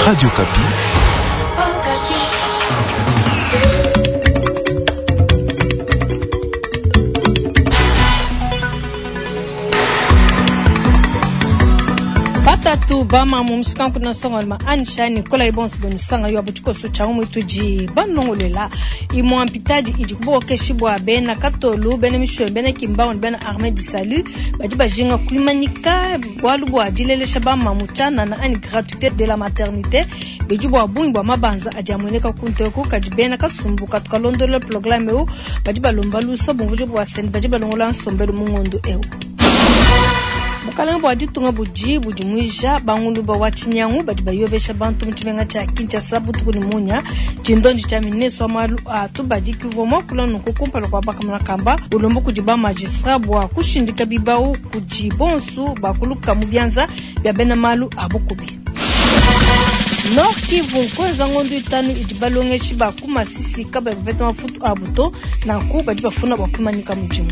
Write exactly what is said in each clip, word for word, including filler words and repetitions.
Radio Okapi. Batatu bamamu mushikanku na songolma anishani kola ibonso bonisanga yo abuchikoso cha umwituji banongolela imwa mpitaji idi kubokeshi bwa bena katolu bena misho bena kimbao bena armée du salut badi bajinga kuimanika bwalu bwa dilelesha bamamu chana na ani gratuité de la maternité bidi bwa bungi bwa mabanza adi amueneka kunteku kadi bena kasumbu katukalondola programme eu badi balomba lusa bumvujo bwa sen badi balongola nsombelu mungondo eu bukalenge bwa ditunga budi budimuija banguluba wa tshinyangu badi bayobesha bantu mu tshimenga tshia Kinshasa butuku ne munya tshindondi tshia ministre wa malu a tubadi kivua muakula nunku kumpala kua bakamona kamba ulomba kudi ba magistrat bua kushindika bibau kudi bonsu bakuluka mu bianza bia bena malu a bukubi. Nord Kivu nkweza ngondo itanu idi balongeshi ba ku Masisi kabayi bapeta mafutu abu to nanku badi bafuna bua kumanyika mudimu.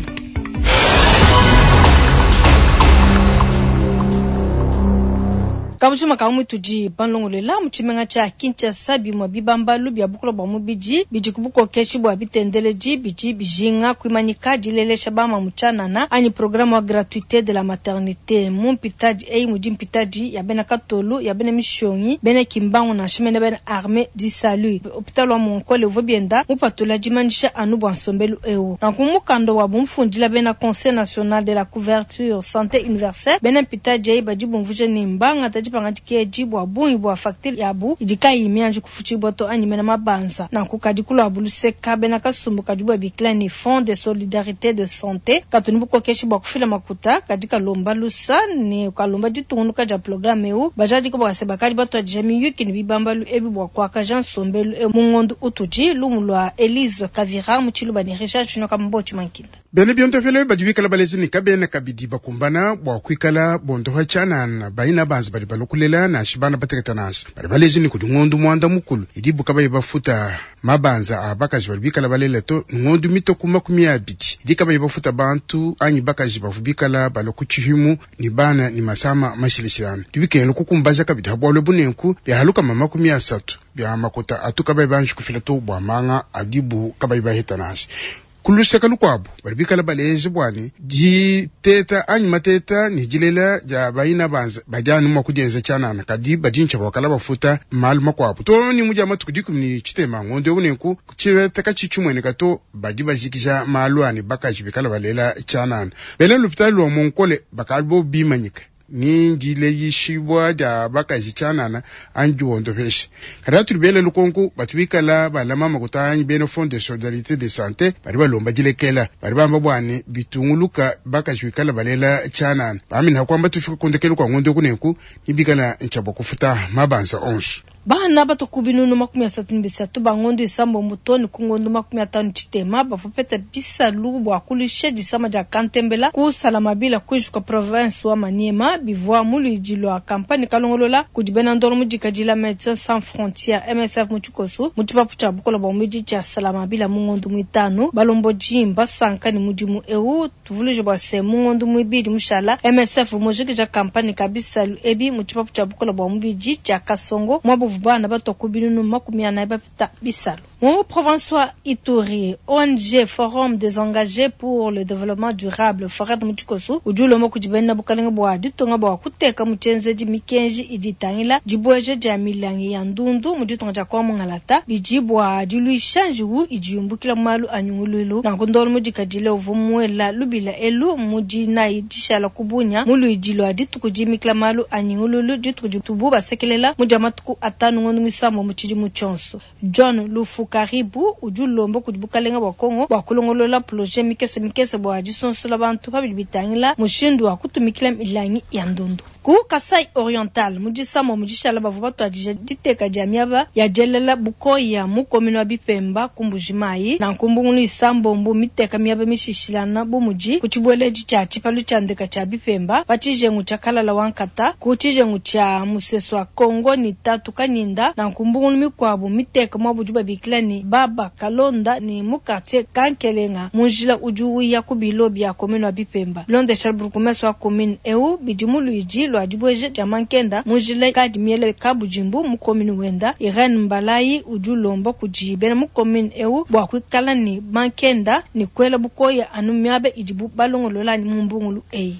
Kabushima ka mwitudi banlongolela mu tshimenga tshia Kinshasa bimwe bibambalu bia bukula bwa mubidi bidi kubukokeshi bwa bitendeleji bidi bijinga kuimanyika dilelesha bama muchanana ani programme wa gratuité de la maternité mu mpitadi eyi mudi mpitadi ya bena katolu ya bena mishongi bena kimbangu na shimene bena armée du salut hôpital wa Monkole uvua bienda mupatula dimanyisha anu bua nsombelu eu nanku mukanda wa bumfundila bena conseil national de la couverture santé universelle bena mpitadi eyi badi bumvuja ne mbanga pangatikeji bwa bungi bwa facture yabu idi kayi mianji kufuchibwa to anyi mena mabanza nanku kadi kulwa buluseka bena kasumbu kadi bwa bikila ni fond de solidarité de santé katuni bukokeshi bwa kufila makuta kadi kalomba lusa ne kalomba ditungunuka dia programme eu bajadi ko bwase bakadi batwadija miyuki ni bibambalu ebi bwa kwakaja nsombelu e mungondo utudi lumu lwa Elise Kavira mu Tshiluba ni Richard Chinoka Mbochi Mankinda bene biontofele badi bikala balezi ni kabena kabidi bakumbana bwa kuikala bondoha tshanana bayina banzi badi balokulela nashi bana bateketa nashi badi balezi ni kudi ngondu mwanda mukulu idi buka bayi bafuta mabanza a bakaji badi bikala balela to ngondu mitoku makumi abidi idi kabayi bafuta bantu anyi bakaji bavu bikala balokutshihimu ni bana ni masama mashilishilana dibikengela kukumbaja kabidi habwalwe bunenku byahaluka makumi asatu bya makota atu kabayi banji kufila to bwa manga adibu kabayi baheta nashi kuluseka lukwabo bali bikala baleje bwani diteta anyi mateta ni dilela dia bayina banza badianu mwa kudienza tshanana kadi badintsha bakala bafuta malu makwabo to ni mudia matuku dikumi ni tshitema ngondo unenku tshiveta katshitshimweneka to badi bajikija malu ani bakaji bikala balela tshanana bena lupitali lwa Monkole bakali bo bimanyika ni ndileyishibwa dia bakaji tshanana anyi wondopesha kada tuli bele lukonku batu bikala balama makuta anyi bena fond de solidarité de santé bari balomba dilekela bari bamba bwani bitunguluka bakaji bikala balela tshanana bamina kwamba tufika kundekelu kwa ngondo kuneku nibikala nchabwa kufuta mabanza onso bana batoku binunu makumi asatu ni bisatu bangondo isambo mutoni ku ngondo makumi atanu tshitema bavupeta bisalu bua kulisha disama dia kantembela kusalama bila kuijuka province wa Maniema bivua muludi lwa kampani kalongolola kudi bena ndolo mudikadila Médecins Sans Frontières M S F mu tshikoso mu tshipapu tshia bukola bua mubidi tshia salama bila mu ngondo muitanu balomboji mbasanka ni mudimu eu tuvuluje bua se mu ngondo muibidi mushala M S F mujikija kampani ka bisalu ebi mu tshipapu tshia bukola bua mubidi tshia Kasongo mwabu bana batoku binunu makumi anayi bapita bisalu. Mu province wa Ituri, O N G Forum des engagés pour le développement durable Forad mu tshikoso udi ulomba kudi bena bukalenge bua ditunga bua kuteka mu tshienzedi mikenji idi itangila dibueja dia milangi ya ndundu mu ditunga dia kwa Mungalata bidi bua diluisha njiwu idi yumbukila mu malu a nyunguluilu nanku ndolo mudikadile uvua muela lubila elu mu dinayi dishala kubunya mu luidi lua dituku dimikila malu a nyunguluilu dituku ditubu basekelela mu dia matuku atanu ngondo misambo mu tshidimu tshionso. John Lufu Karibu udi ulomba kudi bukalenga bua Kongo bua kulongolola projet mikese mikese bua disonsola bantu pabidi bitangila mushindu wa kutumikila milangi ya ndundu. Ku Kasai Oriental mu disamo mu dishala bavua batuadija diteka dia miaba ya dielela bukoya mu commune wa Bipemba ku Mbujimayi na nkumbungulu isambombo miteka miaba mishishilana bu mudi ku tshibueledi tshia tshipalu tshia ndeka tshia Bipemba pa tshijengu tshia Kalala wa Nkata ku tshijengu tshia Musesu wa Kongo ni tatu Kanyinda na nkumbungulu mikuabu miteka mwa budi babikila ni Baba Kalonda ni mu quartier Kankelenga mu njila udi uya ku bilo bia commune wa Bipemba. Bilondesha burgomestre wa commune eu bidi mu luidi lua dibueja dia mankenda mu njila ikadi miela kabudimbu mu commune wenda. Irene Mbalayi udi ulomba kudi bena mu commune eu bua kuikala ne mankenda ne kuela bukoya anu miaba idibu balongolola mu mbungulu eyi.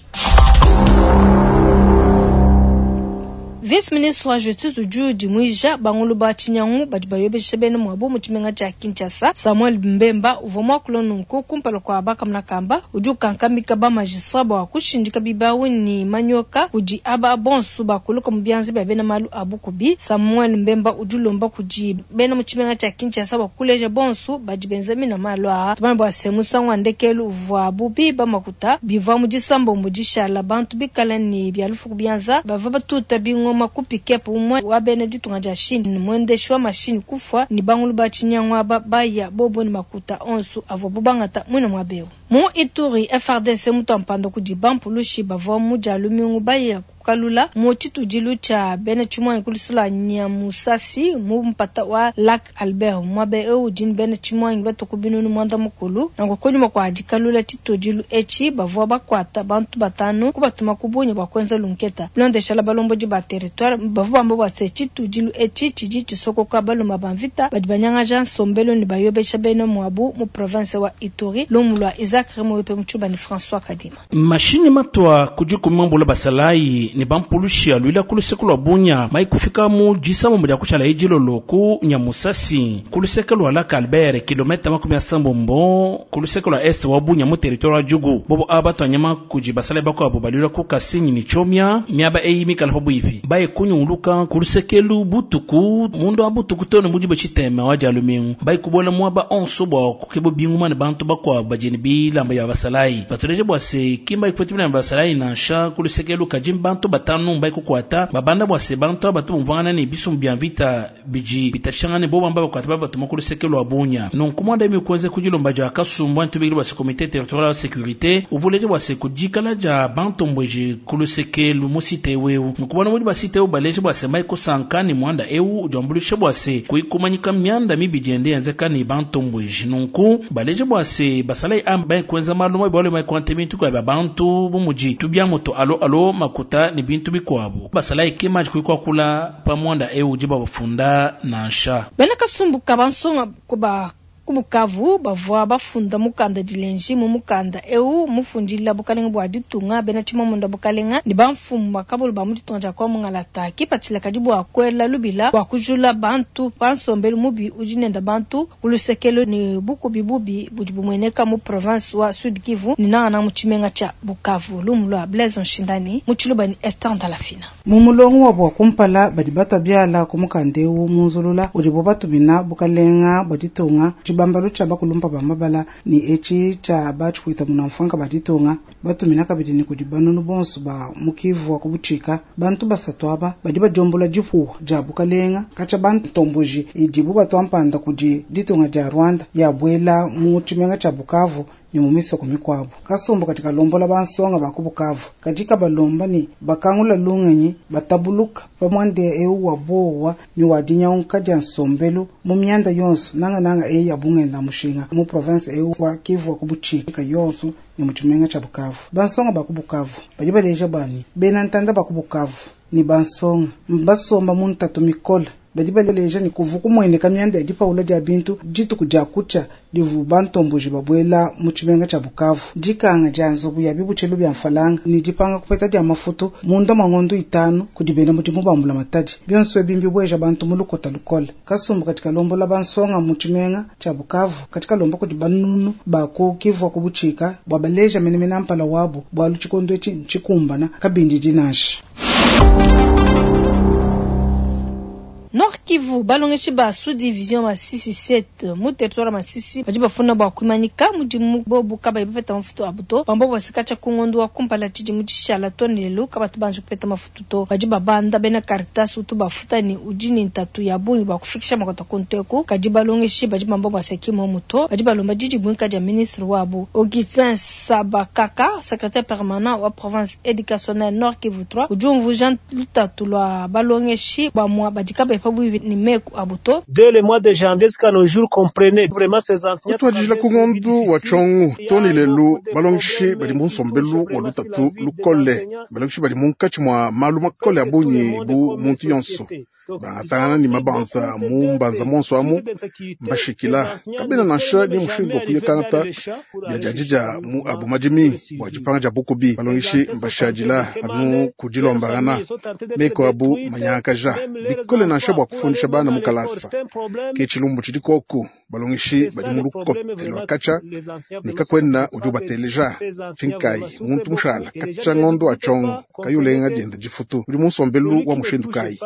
Vice-ministre wa Justice udi udimuija bangulu ba tshinyangu badi bayobesha bena muabu mu tshimenga tshia Kinshasa. Samuel Mbemba uvua muakula nunku kumpala kua bakamuna kamba udi ukankamika ba magistrat bua kushindika bibawu ne manyoka kudi aba bonso bakuluka mu bianza bia bena malu a bukubi. Samuel Mbemba udi ulomba kudi bena mu tshimenga tshia Kinshasa bua kuleja bonso badi benza mina malu aa. Tumanye bua se musangu wa ndekelu uvuabu biba makuta bivua mu disambombo dishala bantu bikala ne bia lufu ku bianza bavua batuta bingoma ku pick-up umwe wa bena ditunga dia Chine mwendeshi wa machine kufwa ni bangulu ba tshinyangu aba baya bobo ni makuta onso avua bubangata mwina mwabeo. Mu Ituri F R D C mutampanda kudi bampulushi bavua mu dia lumingu baya kukalula mu tshitudilu tshia bena tshimwangi kulusula Nyamusasi mu mpata wa Lac Albert mwabe eu udi bena tshimwangi batuku binunu mwanda mukulu nanku kunyuma kwa dikalula tshitudilu etshi bavua bakwata bantu batanu kubatuma kubunyi bua kuenza lunketa bilondeshala balombodi ba territoire bavua bamba bua se tshitudilu etshi tshidi tshisokoka baluma ba mvita badi banyangaja nsombelo ne bayobesha bena mwabu mu province wa Ituri lumu lwa Isaac Remoyope Muchuba ni François Kadima. Mashini matwa kujikumambula basalayi ne bampulushi alwila kuluseke lwa Bunya mai kufika mu disamo mu diakushala ejilolo ku Nyamusasi kuluseke lwa Lac Albert kilomita makumi asambombo kuluseke lwa est wa Bunya mu territoire wa Djugu bobo aba twanyama kuji basalayi bakwabo balwila ku Kasenyi ni Chomia miaba eyi mikala pabuipi baye kunyunguluka kulusekelu butuku mundu wa butuku tone mujibe chitema wa jalumingu baye kubola mwaba onso bwa kukebo binguma ne bantu bakwabo bajeni bilamba ya basalayi batuleje bwa se kimba ikwetu bila basalayi nansha kulusekelu kajimba bantu batanu mbai kukwata babanda bwa se bantu abatu mvana ne bisumbu bya vita biji bitashangane bo bamba bakwata babatuma kulusekelu wa Bunya nonku mwanda imikuweze kujilomba ja kasumbu antubikili bwa se comité territorial de sécurité uvuleje bwa se kujikala ja bantu mbweje kulusekelu musite wewu nkubona muri basite baleje bwa se mai kusankani mwanda eu ujambulishe bwa se kuikumanyika myanda mibijende yanzekani bantu mbweje nonku baleje bwa se basalai amba kwenza maluma bwale mai kwante bintu kwa bantu bumuji tubya moto alo alo makuta ni bintu bikwabo basalai kema kuikwa kula pa mwanda eu jiba bafunda nansha bena kasumbuka bansonga kuba kubukavu bavua bafunda mukanda dilenji mu mukanda eu mufundila bukalenga bua ditunga bena tshimamunda bukalenga ni bamfumu bakabulu ba mu ditunga dia kwa mungalata kipatshila kadi bua kuela lubila bua kujula bantu pansombelu mubi udi nenda bantu kulusekelo ni bukubi bubi budi bumueneka mu province wa Sud Kivu ni nangana mu tshimenga tshia Bukavu lumu lua Blaise Nshindani mu tshiluba ni Esther Ndalafina mu mulongo wa bua kumpala badi batwa biala ku mukanda eu munzulula udi bo batumina bukalenga bua ditunga tshibambalu tshia bakulumpa ba mabala ni etshi tshia batshikuita muna mfanka baditunga batumina kabidi ni kudi banunu bonso ba mukivu wa kubutshika bantu basatu aba badi badiombola dipuwa dia bukalenga katshia bantomboji idibu batwampanda kudi ditunga dia Rwanda yabwela mu tshimenga tshia Bukavu ni mu misoko mikwabo kasumbu katika lombola bansonga ba ku Bukavu katika balomba ni bakangula lungenyi batabuluka pamwande eu wa bowa ni wadinya dia nsombelu mu myanda yonso nanga nanga eyi ya bungenda mushinga mu province eu wa Kivu wa kubutshika yonso ni mu tshimenga tshia Bukavu bansonga ba ku Bukavu badi baleja bani bena ntanda ba ku Bukavu ni bansonga mbasomba mu ntatu mikola badi baleja ni kuvuku mwene kamyanda ya dipaula dia bintu dituku dia kucha divu bantomboji babwela mu tshimenga tshia Bukavu dikanga dia nzubu ya bibutshelu bya mfalanga ni dipanga kupeta dia mafutu munda mwa ngondo itanu kudi bena mudimu bambula matadi bionso ebi mbibweja bantu mu lukota lukola kasumbu katika lombola bansonga mu tshimenga tshia Bukavu katika lomba kudi banunu bako Kivu kubutshika bwa baleja menemene mpala wabo bwa lutshikondo etshi ntshikumbana kabindi dinashi. Nord Kivu balongeshi ba sous-division Masisi sept mu territoire Masisi badi bafuna bua kuimanyika mudimu bobu kabayi bapeta mafutu abu to bambo basika kungondo wa kumpala tshidi mu tshishala to ne lelu kabatu banje kupeta mafutu to badi babanda bena Caritas utu bafuta ni udi ni ntatu ya bungi bua kufikisha makota kunteku kadi balongeshi badi bambo baseki mo muto badi balomba didi buinka dia ministre wabu Augustin Sabakaka secrétaire permanent wa province éducationnelle Nord Kivu trois udi umvuja lutatu lua balongeshi bamwa badi kabayi pabuibi ne meku abu to. Kutuadijila ku ngondu wa tshiongo too ne lelu balongeshi badi mu nsombelu wa lutatu lukole. Balongeshi badi munkatshi mua malu makole a bungi bu muntu yonso bangatangana ne mabanza mu mbanza monso amu mbashikila kabena nansha ni mushindu wa kuyakangata biadiadidia mu abu madimi bua dipanga dia bukubi. Balongeshi mbashadila anu kudilombangana meko abu manyakaja bikole nansha bua kufundisha bana mu kalasa ke tshilumbu tshidi koku. Balongeshi badi mu lukote lua katsha ne kakwena udi ubateleja finkai muntu mushala katsha ngondo wa tshongo kayulenga dienda difutu udi mu nsombelu wa mushindu kayi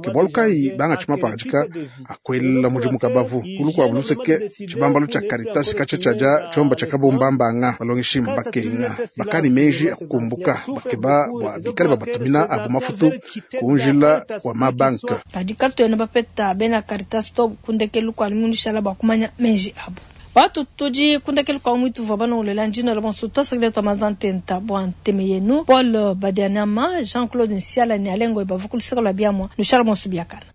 ke bualu kayi bangatshi mapangadika akwela mudimu kabavu kulu kuabu luseke tshibambalu tshia Caritas katsha tshiadia tshiomba tshia kabombambanga. Balongeshi mbakenga bakani meji akukumbuka bakeba bua bikale babatumina abu mafutu kunjila wa mabanka. Kadi katuena bapeta bena Caritas to kundekelu kua lumishala bua kumanya meji abu. Watu tudi kundekelu kwa mwitu vwa bana njina la bonso twasakile twa mazantenta bua nteme yenu Paul Badianama Jean-Claude Nsiala ni alengo ibavukuluseka lwa biamwa nushala bonso biakana.